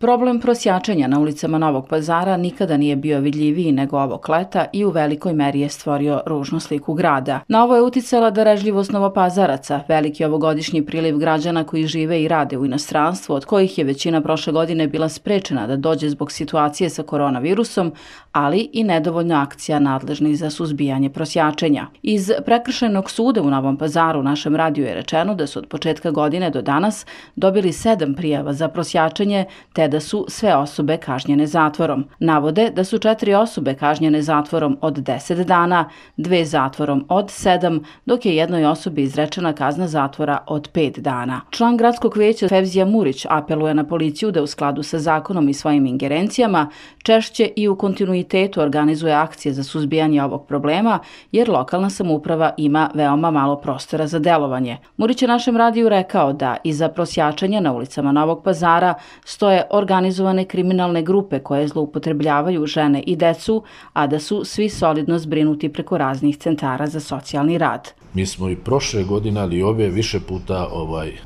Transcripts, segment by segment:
Problem prosjačenja na ulicama Novog Pazara nikada nije bio vidljiviji nego ovog leta i u velikoj meri je stvorio ružnu sliku grada. Na ovo je uticala darežljivost Novopazaraca, veliki ovogodišnji priliv građana koji žive i rade u inostranstvu, od kojih je većina prošle godine bila sprečena da dođe zbog situacije sa koronavirusom, ali i nedovoljna akcija nadležnih za suzbijanje prosjačenja. Iz Prekršajnog suda u Novom Pazaru našem radiju je rečeno da su od početka godine do danas dobili 7 prijava za prosjačenje, te da su sve osobe kažnjene zatvorom. Navode da su 4 osobe kažnjene zatvorom od 10 dana, 2 zatvorom od 7, dok je jednoj osobi izrečena kazna zatvora od 5 dana. Član gradskog veća Fevzija Murić apeluje na policiju da u skladu sa zakonom i svojim ingerencijama češće i u kontinuitetu organizuje akcije za suzbijanje ovog problema, jer lokalna samouprava ima veoma malo prostora za delovanje. Murić je našem radiju rekao da iza prosjačenja na ulicama Novog Pazara stoje organizovane kriminalne grupe koje zloupotrebljavaju žene i decu, a da su svi solidno zbrinuti preko raznih centara za socijalni rad. Mi smo i prošle godine, ali i ove više puta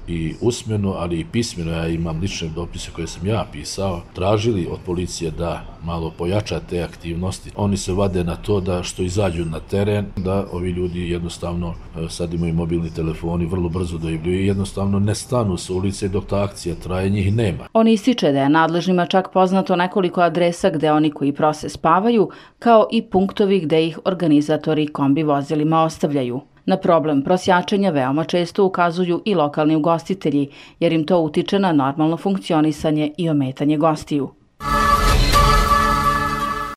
i usmeno, ali i pismeno, ja imam lične dopise koje sam ja pisao, tražili od policije da malo pojača te aktivnosti. Oni se vade na to da što izađu na teren, da ovi ljudi jednostavno, sad imaju mobilni telefoni, vrlo brzo dojavljuju i jednostavno ne stanu sa ulice dok ta akcija traje, njih nema. On ističe da je nadležnima čak poznato nekoliko adresa gde oni koji prose spavaju, kao i punktovi gde ih organizatori kombi vozilima ostavljaju. Na problem prosjačenja veoma često ukazuju i lokalni ugostitelji, jer im to utiče na normalno funkcionisanje i ometanje gostiju.